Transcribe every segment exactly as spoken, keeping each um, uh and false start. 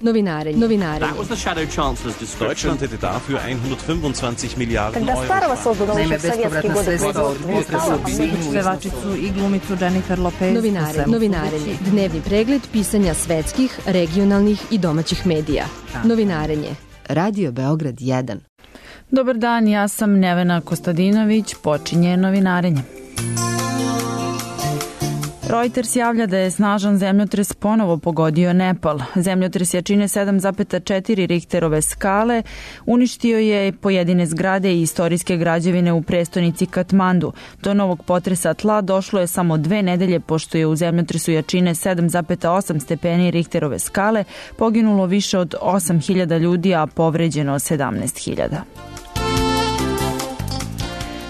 Novinarenje. Novinarenje. Deutschland hätte dafür hundertfünfundzwanzig Milijarden Euro. Naime, bespovratna sredstva od pevačicu i glumicu Jennifer Lopez. Novinarenje. Novinarenje. Dnevni pregled pisanja svetskih, regionalnih i domaćih medija. Novinarenje. Radio Beograd jedan. Dobar dan, ja sam Nevena Kostadinović, počinje Novinarenje. Reuters javlja da je snažan zemljotres ponovo pogodio Nepal. Zemljotres jačine sedam zarez četiri Richterove skale uništio je pojedine zgrade i istorijske građevine u prestonici Katmandu. Do novog potresa tla došlo je samo dve nedelje pošto je u zemljotresu jačine sedam zarez osam stepeni Richterove skale poginulo više od osam hiljada ljudi, a povređeno sedamnaest hiljada.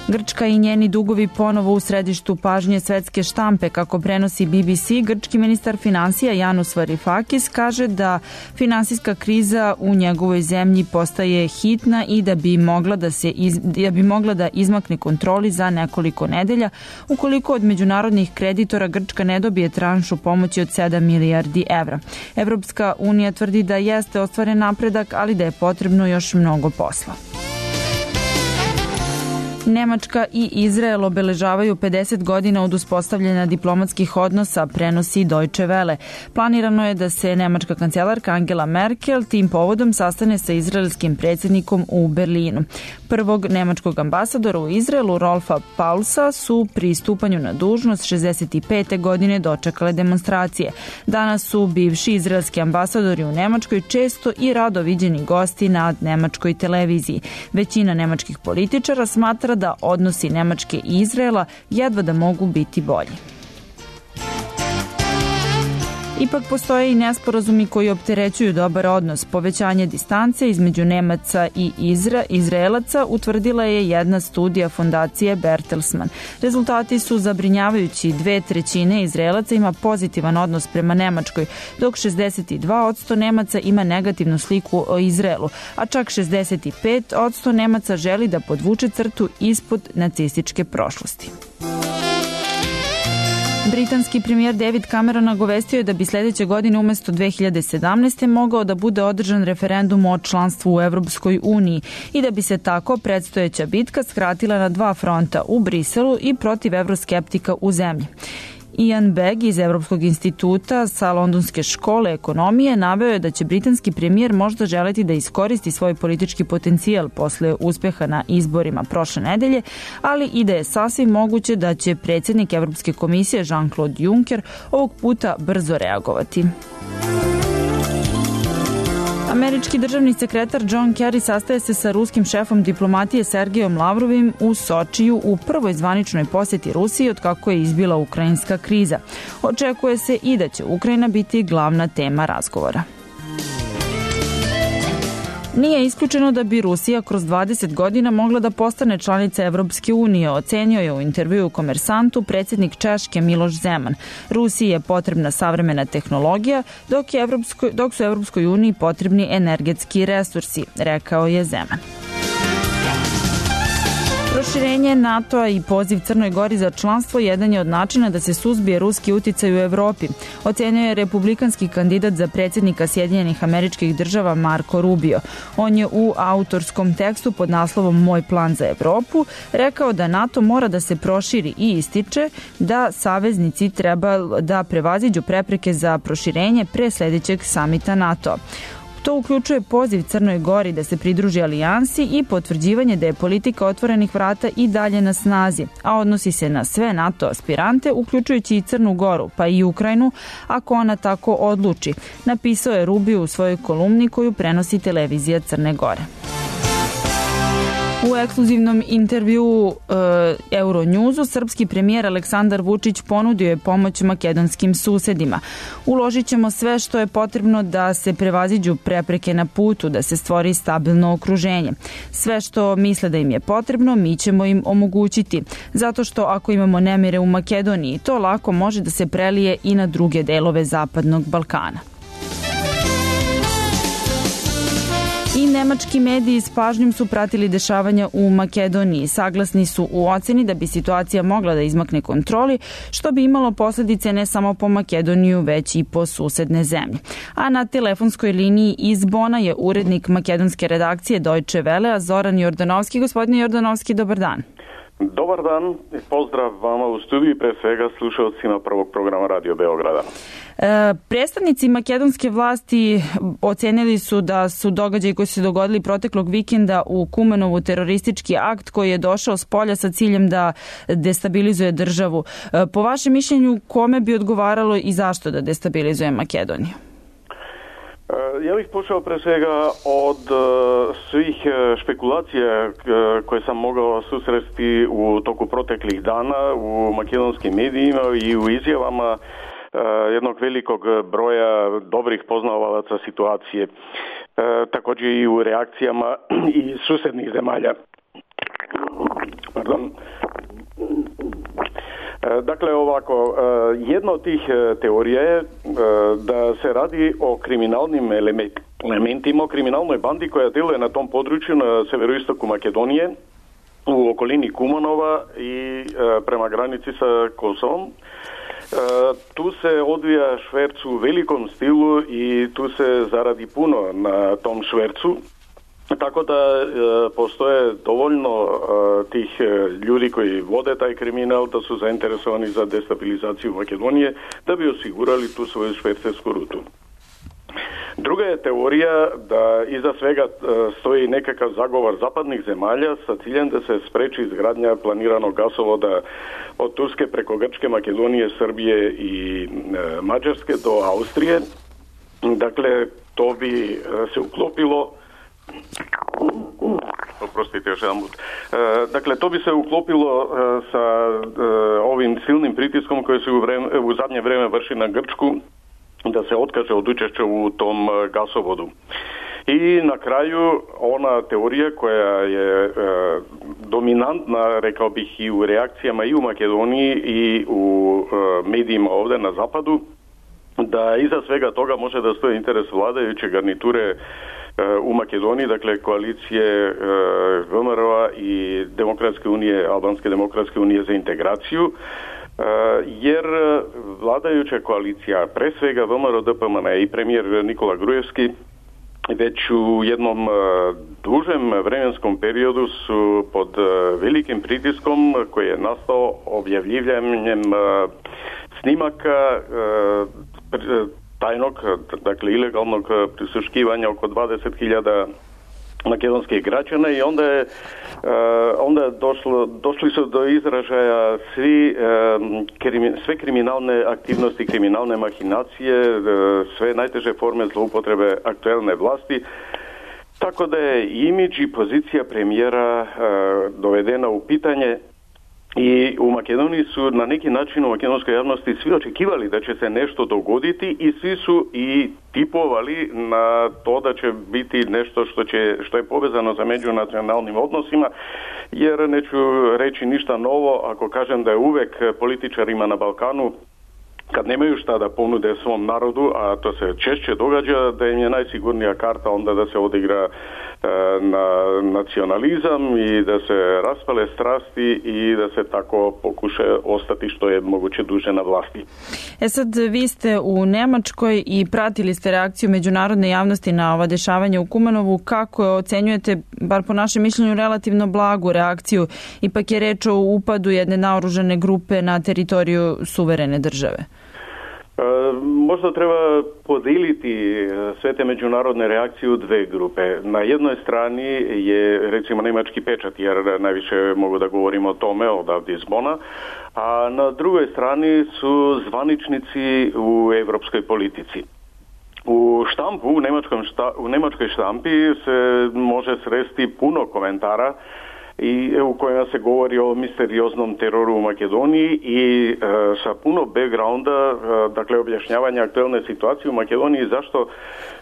Grčka i njeni dugovi ponovo u središtu pažnje svetske štampe. Kako prenosi B B C, grčki ministar finansija Janus Varoufakis kaže da finansijska kriza u njegovoj zemlji postaje hitna i da bi mogla da, se iz, da, bi mogla da izmakne kontroli za nekoliko nedelja ukoliko od međunarodnih kreditora Grčka ne dobije tranšu pomoći od sedam milijardi evra. Evropska unija tvrdi da jeste ostvaren napredak, ali da je potrebno još mnogo posla. Nemačka i Izrael obeležavaju pedeset godina od uspostavljanja diplomatskih odnosa, prenosi Deutsche Welle. Planirano je da se nemačka kancelarka Angela Merkel tim povodom sastane sa izraelskim predsjednikom u Berlinu. Prvog nemačkog ambasadora u Izraelu, Rolfa Paulsa, su pri stupanju na dužnost šezdeset pete godine dočekale demonstracije. Danas su bivši izraelski ambasadori u Nemačkoj često i rado viđeni gosti na nemačkoj televiziji. Većina nemačkih političara smatra da odnosi Nemačke i Izraela jedva da mogu biti bolji. Ipak postoje i nesporazumi koji opterećuju dobar odnos. Povećanje distance između Nemaca i Izra, Izraelaca utvrdila je jedna studija fondacije Bertelsmann. Rezultati su zabrinjavajući. Dve trećine Izraelaca ima pozitivan odnos prema Nemačkoj, dok šezdeset dva posto Nemaca ima negativnu sliku o Izraelu, a čak šezdeset pet posto Nemaca želi da podvuče crtu ispod nacističke prošlosti. Britanski premijer David Cameron nagovestio je da bi sljedeće godine umesto dve hiljade sedamnaeste. mogao da bude održan referendum o članstvu u Evropskoj uniji i da bi se tako predstojeća bitka skratila na dva fronta, u Briselu i protiv evroskeptika u zemlji. Ian Begg iz Evropskog instituta sa Londonske škole ekonomije naveo je da će britanski premijer možda želeti da iskoristi svoj politički potencijal posle uspeha na izborima prošle nedelje, ali i da je sasvim moguće da će predsjednik Evropske komisije Jean-Claude Juncker ovog puta brzo reagovati. Američki državni sekretar John Kerry sastaje se sa ruskim šefom diplomatije Sergejom Lavrovim u Sočiju u prvoj zvaničnoj posjeti Rusiji od kako je izbila ukrajinska kriza. Očekuje se i da će Ukrajina biti glavna tema razgovora. Nije isključeno da bi Rusija kroz dvadeset godina mogla da postane članica Evropske unije, ocenio je u intervjuu Komersantu predsjednik Češke Miloš Zeman. Rusiji je potrebna savremena tehnologija, dok, je Evropskoj, dok su Evropskoj uniji potrebni energetski resursi, rekao je Zeman. Proširenje NATO-a i poziv Crnoj Gori za članstvo jedan je od načina da se suzbije ruski uticaj u Evropi, ocenio je republikanski kandidat za predsjednika Sjedinjenih Američkih Država Marco Rubio. On je u autorskom tekstu pod naslovom Moj plan za Evropu rekao da NATO mora da se proširi i ističe da saveznici treba da prevaziđu prepreke za proširenje pre sljedećeg samita NATO-a. To uključuje poziv Crnoj Gori da se pridruži alijansi i potvrđivanje da je politika otvorenih vrata i dalje na snazi, a odnosi se na sve NATO aspirante, uključujući i Crnu Goru, pa i Ukrajinu, ako ona tako odluči, napisao je Rubio u svojoj kolumni koju prenosi televizija Crne Gore. U ekskluzivnom intervjuu e, Euronewsu srpski premijer Aleksandar Vučić ponudio je pomoć makedonskim susedima. Uložit ćemo sve što je potrebno da se prevaziđu prepreke na putu, da se stvori stabilno okruženje. Sve što misle da im je potrebno, mi ćemo im omogućiti. Zato što ako imamo nemire u Makedoniji, to lako može da se prelije i na druge delove Zapadnog Balkana. I nemački mediji s pažnjom su pratili dešavanja u Makedoniji. Saglasni su u oceni da bi situacija mogla da izmakne kontroli, što bi imalo posljedice ne samo po Makedoniju, već i po susedne zemlje. A na telefonskoj liniji iz Bona je urednik makedonske redakcije Deutsche Welle, Zoran Jordanovski. Gospodine Jordanovski, dobar dan. Dobar dan i pozdrav vama u studiju i pre svega slušalcima prvog programa Radio Beograda. E, predstavnici makedonske vlasti ocenili su da su događaji koji su se dogodili proteklog vikenda u Kumanovu teroristički akt koji je došao s polja sa ciljem da destabilizuje državu. E, po vašem mišljenju, kome bi odgovaralo i zašto da destabilizuje Makedoniju? Ja bih počeo pre svega od svih špekulacija koje sam mogao susresti u toku proteklih dana u makedonskim medijima i u izjavama jednog velikog broja dobrih poznavalaca situacije. Također i u reakcijama i susednih zemalja. Pardon. Dakle, ovako, jedna od tih teorija je da se radi o kriminalnim elementima, o kriminalnoj bandi koja djeluje na tom području na severoistoku Makedonije, u okolini Kumanova i prema granici sa Kosovom. Tu se odvija šverc u velikom stilu i tu se zaradi puno na tom švercu. Tako da e, postoje dovoljno e, tih e, ljudi koji vode taj kriminal, da su zainteresovani za destabilizaciju Makedonije, da bi osigurali tu svoju švercersku rutu. Druga je teorija da iza svega e, stoji nekakav zagovor zapadnih zemalja sa ciljem da se spreči izgradnja planiranog gasovoda od Turske preko Grčke, Makedonije, Srbije i e, Mađarske do Austrije. Dakle, to bi e, se uklopilo Oprostite još jedan put. E, dakle, to bi se uklopilo e, sa e, ovim silnim pritiskom koji se u, vreme, u zadnje vrijeme vrši na Grčku da se otkaže od učešća u tom e, gasovodu. I na kraju ona teorija koja je e, dominantna, rekao bih, i u reakcijama i u Makedoniji i u e, medijima ovdje na zapadu, da iza svega toga može da stoji interes vladajuće garniture u Makedoniji, dakle koalicije V M R O-a i Demokratske unije, Albanske demokratske unije za integraciju, jer vladajuća koalicija, pre svega V M R O D P M N i premijer Nikola Grujevski, već u jednom dužem vremenskom periodu su pod velikim pritiskom koji je nastao objavljivanjem snimaka tajnog, dakle ilegalnog prisluškivanja oko dvadeset hiljada makedonskih građana i onda je onda je došlo, došli su do izražaja svi, sve kriminalne aktivnosti, kriminalne mahinacije, sve najteže forme zloupotrebe aktuelne vlasti. Tako da je imidž i pozicija premijera dovedena u pitanje. I u Makedoniji su na neki način u makedonskoj javnosti svi očekivali da će se nešto dogoditi i svi su i tipovali na to da će biti nešto što, će, što je povezano sa međunacionalnim odnosima, jer neću reći ništa novo ako kažem da je uvek političarima na Balkanu, kad nemaju šta da ponude svom narodu, a to se češće događa, da im je najsigurnija karta onda da se odigra e, na nacionalizam i da se raspale strasti i da se tako pokuša ostati što je moguće duže na vlasti. E sad, vi ste u Nemačkoj i pratili ste reakciju međunarodne javnosti na ova dešavanja u Kumanovu. Kako ocenjujete, bar po našem mišljenju, relativno blagu reakciju? Ipak je reč o upadu jedne naoružane grupe na teritoriju suverene države. E, možda treba podeliti sve te međunarodne reakcije u dve grupe. Na jednoj strani je recimo nemački pečat, jer najviše mogu da govorimo o tome odavde iz Bona, a na drugoj strani su zvaničnici u evropskoj politici. U štampu, u, nemačkom šta, u nemačkoj štampi se može sresti puno komentara i u kojima se govori o misterioznom teroru u Makedoniji i e, sa puno backgrounda, e, dakle objašnjavanja aktuelne situacije u Makedoniji, zašto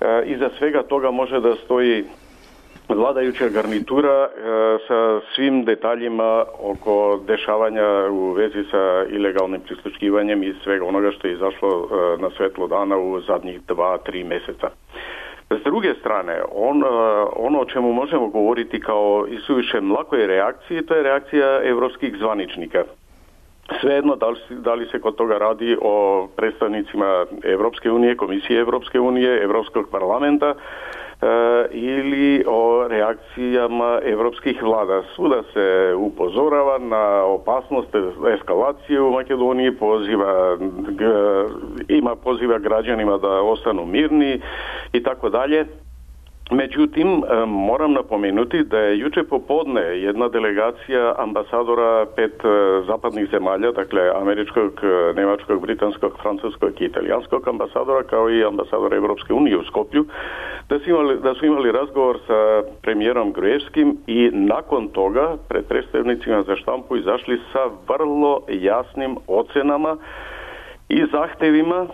e, iza svega toga može da stoji vladajuća garnitura e, sa svim detaljima oko dešavanja u vezi sa ilegalnim prisluškivanjem i svega onoga što je izašlo e, na svetlo dana u zadnjih dva, tri mjeseca. S druge strane, on, ono o čemu možemo govoriti kao isuviše mlakoj reakciji, to je reakcija evropskih zvaničnika. Svejedno, da li, da li se kod toga radi o predstavnicima Evropske unije, Komisije Evropske unije, Evropskog parlamenta, ili o reakcijama evropskih vlada. Svuda se upozorava na opasnost eskalacije u Makedoniji, poziva, ima poziva građanima da ostanu mirni i tako dalje. Međutim, moram napomenuti da je juče popodne jedna delegacija ambasadora pet zapadnih zemalja, dakle američkog, nemačkog, britanskog, francuskog i italijanskog ambasadora, kao i ambasadora Evropske unije u Skoplju, da su imali, da su imali razgovor sa premijerom Gruevskim i nakon toga pred predstavnicima za štampu izašli sa vrlo jasnim ocenama i zahtevima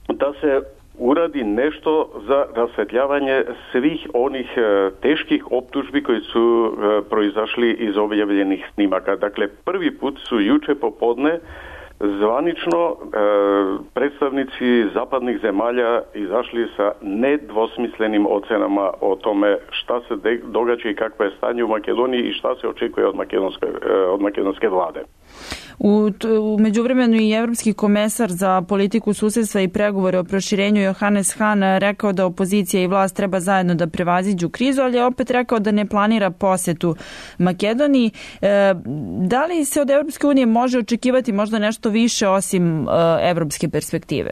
da se uradi nešto za rasvetljavanje svih onih e, teških optužbi koji su e, proizašli iz objavljenih snimaka. Dakle, prvi put su juče popodne zvanično e, predstavnici zapadnih zemalja izašli sa nedvosmislenim ocenama o tome šta se de, događa i kakvo je stanje u Makedoniji i šta se očekuje od makedonske, e, od makedonske vlade. U, u međuvremenu i evropski komesar za politiku susjedstva i pregovore o proširenju Johannes Hahn rekao da opozicija i vlast treba zajedno da prevaziđu krizu, ali je opet rekao da ne planira posetu Makedoniji. E, da li se od Evropske unije može očekivati možda nešto više osim e, evropske perspektive?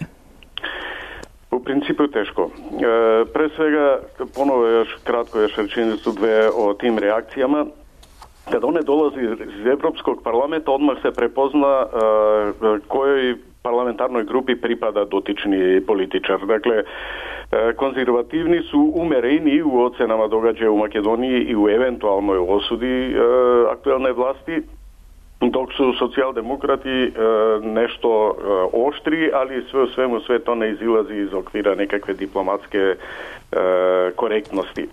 U principu teško. E, pre svega, ponovo još kratko još rečenicu dve o tim reakcijama. Kada one dolazi iz Evropskog parlamenta, odmah se prepozna uh, kojoj parlamentarnoj grupi pripada dotični političar. Dakle, uh, konzervativni su umereni u ocenama događaja u Makedoniji i u eventualnoj osudi uh, aktualne vlasti, dok su socijaldemokrati uh, nešto uh, oštri, ali sve u svemu sve to ne izilazi iz okvira nekakve diplomatske uh, korektnosti.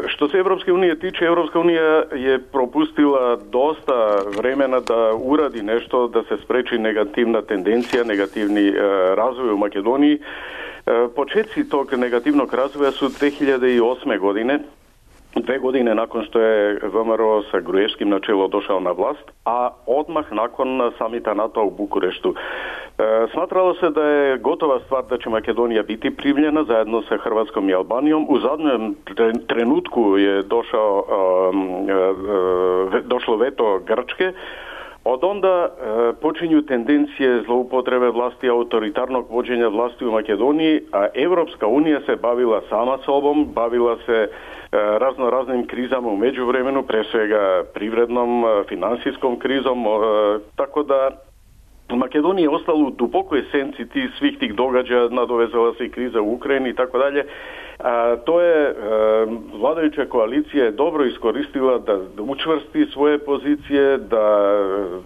Što se Evropske unije tiče, Evropska unija je propustila dosta vremena da uradi nešto, da se spreči negativna tendencija, negativni razvoj u Makedoniji. Početci tog negativnog razvoja su dve hiljade osme godine, dve godine nakon što je V M R O sa Gruevskim na čelo došao na vlast, a odmah nakon samita NATO u Bukureštu. E, smatralo se da je gotova stvar da će Makedonija biti primljena zajedno sa Hrvatskom i Albanijom. U zadnjem trenutku je došao, um, e, došlo veto Grčke. Od onda e, počinju tendencije zloupotrebe vlasti, autoritarnog vođenja vlasti u Makedoniji, a Evropska unija se bavila sama sobom, bavila se e, razno raznim krizama u međuvremenu, pre svega privrednom, finansijskom krizom, e, tako da Makedonija je ostala u dubokoj senci tih, svih tih događaja, nadovezala se i kriza u Ukrajini i tako dalje. A to je e, vladajuća koalicija je dobro iskoristila da učvrsti svoje pozicije, da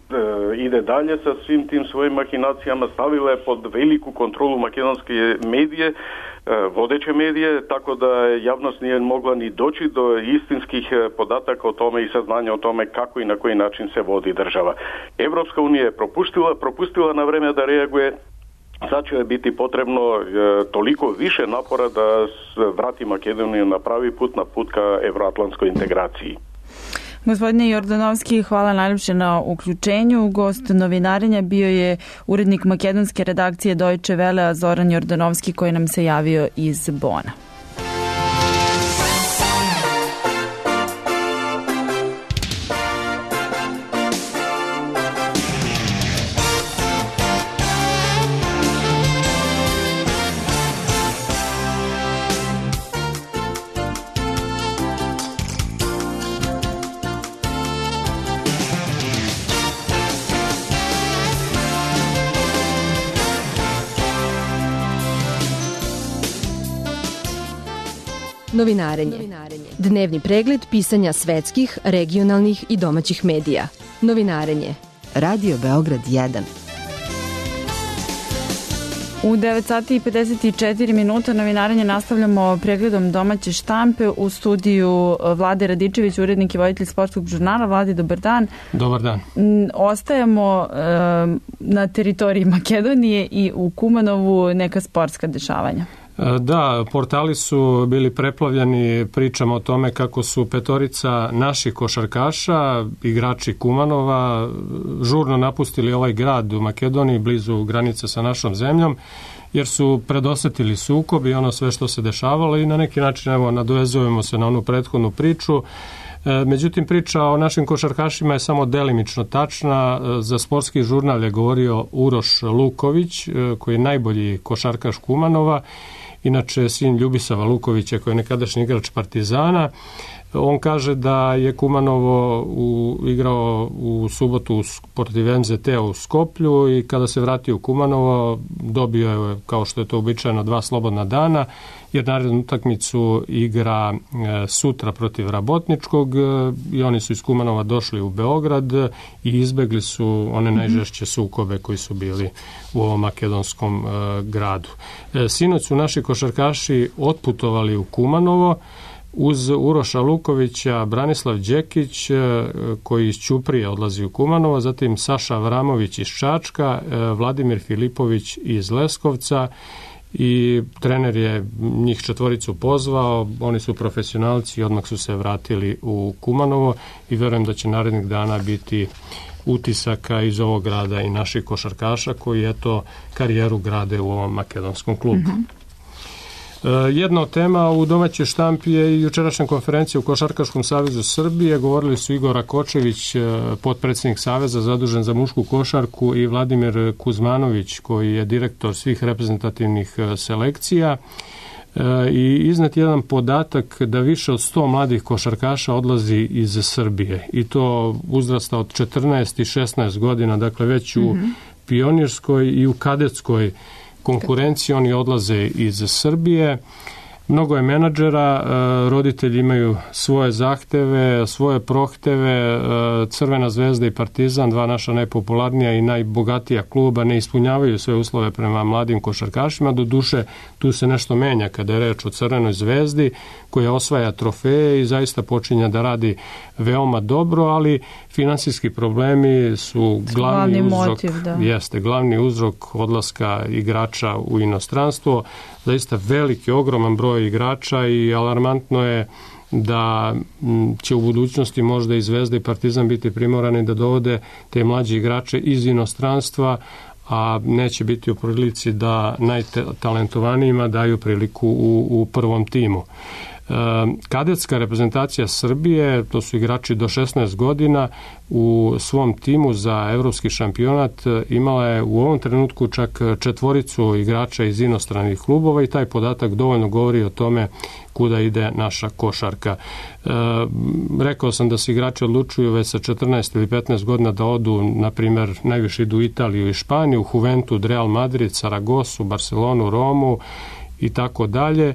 e, ide dalje sa svim tim svojim mahinacijama, stavila je pod veliku kontrolu makedonske medije, e, vodeće medije, tako da javnost nije mogla ni doći do istinskih podataka o tome i saznanja o tome kako i na koji način se vodi država. Evropska unija je propustila, propustila na vreme da reaguje. Sad će biti potrebno e, toliko više napora da vrati Makedoniju na pravi put, na put ka evroatlantskoj integraciji. Gospodine Jordanovski, hvala najljepše na uključenju. Gost novinarenja bio je urednik makedonske redakcije Deutsche Welle Zoran Jordanovski, koji nam se javio iz Bona. Novinarenje. Dnevni pregled pisanja svetskih, regionalnih i domaćih medija. Novinarenje. Radio Beograd jedan. U devet sati i pedeset četiri minuta novinarenje nastavljamo pregledom domaće štampe. U studiju Vlade Radičević, urednik i voditelj sportskog žurnala. Vladi, dobar dan. Dobar dan. Ostajemo e, na teritoriji Makedonije i u Kumanovu neka sportska dešavanja. Da, portali su bili preplavljeni pričama o tome kako su petorica naših košarkaša, igrači Kumanova, žurno napustili ovaj grad u Makedoniji blizu granice sa našom zemljom, jer su predosetili sukob i ono sve što se dešavalo i na neki način evo, nadovezujemo se na onu prethodnu priču. Međutim, priča o našim košarkašima je samo delimično tačna. Za sportski žurnal je govorio Uroš Luković, koji je najbolji košarkaš Kumanova, inače sin Ljubisava Lukovića, koji je nekadašnji igrač Partizana. On kaže da je Kumanovo u, igrao u subotu protiv em zet te u Skoplju i kada se vratio u Kumanovo dobio je, kao što je to uobičajeno, dva slobodna dana, jer narednu utakmicu igra e, sutra protiv Rabotničkog e, i oni su iz Kumanova došli u Beograd i izbegli su one najžešće sukobe koji su bili u ovom makedonskom e, gradu. E, sinoć su naši košarkaši otputovali u Kumanovo uz Uroša Lukovića, Branislav Đekić, koji iz Ćuprije odlazi u Kumanovo, zatim Saša Avramović iz Čačka, Vladimir Filipović iz Leskovca i trener je njih četvoricu pozvao, oni su profesionalci i odmah su se vratili u Kumanovo i verujem da će narednih dana biti utisaka iz ovog grada i naših košarkaša koji eto karijeru grade u ovom makedonskom klubu. Mm-hmm. Jedna od tema u domaćoj štampi je i jučerašnja konferencija u Košarkaškom savezu Srbije. Govorili su Igor Rakočević, potpredsjednik saveza zadužen za mušku košarku, i Vladimir Kuzmanović, koji je direktor svih reprezentativnih selekcija. I iznet jedan podatak da više od sto mladih košarkaša odlazi iz Srbije i to uzrasta od četrnaest i šesnaest godina, dakle već u mm-hmm. pionirskoj i u kadetskoj konkurenciji oni odlaze iz Srbije. Mnogo je menadžera, roditelji imaju svoje zahteve, svoje prohteve. Crvena zvezda i Partizan, dva naša najpopularnija i najbogatija kluba, ne ispunjavaju sve uslove prema mladim košarkašima. Do duše, tu se nešto menja kada je reč o Crvenoj zvezdi, koja osvaja trofeje i zaista počinja da radi veoma dobro, ali finansijski problemi su glavni, glavni uzrok, motiv, da. Jeste, glavni uzrok odlaska igrača u inostranstvo. Zaista veliki, ogroman broj igrača i alarmantno je da će u budućnosti možda i Zvezda i Partizan biti primorani da dovode te mlađe igrače iz inostranstva, a neće biti u prilici da najtalentovanijima daju priliku u, u prvom timu. Kadetska reprezentacija Srbije, to su igrači do šesnaest godina, u svom timu za evropski šampionat imala je u ovom trenutku čak četvoricu igrača iz inostranih klubova i taj podatak dovoljno govori o tome kuda ide naša košarka. E, rekao sam da se igrači odlučuju već sa četrnaest ili petnaest godina da odu, na primjer, najviše idu u Italiju i Španiju, Juventud, Real Madrid, Saragosu, Barcelonu, Romu i tako dalje.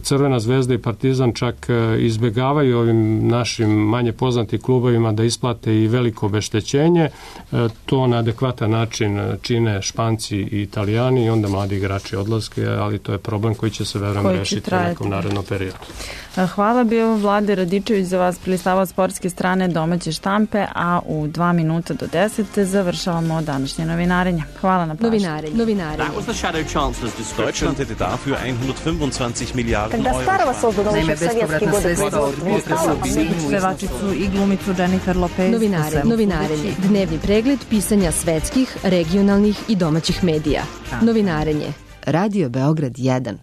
Crvena zvezda i Partizan čak izbegavaju ovim našim manje poznatim klubovima da isplate i veliko obeštećenje. To na adekvatan način čine Španci i Italijani i onda mladi igrači odlaske, ali to je problem koji će se verujem rešiti u nekom narednom periodu. Hvala, bio Vlade Radičević za vas prilistavao sportske strane domaće štampe, a u dva minuta do deset završavamo današnje novinarenje. Hvala na pažnju. Novinarenje. Novinarenje. That was the Shadow Chancellor's description. Deutschland hätte dafür hundertfünfundzwanzig Milliarden Euro. Naime, bespovratna sredstva od pevačicu i glumicu Jennifer Lopez. Novinarenje. Novinarenje. Dnevni pregled pisanja svetskih, regionalnih i domaćih medija. Novinarenje. Radio Beograd jedan.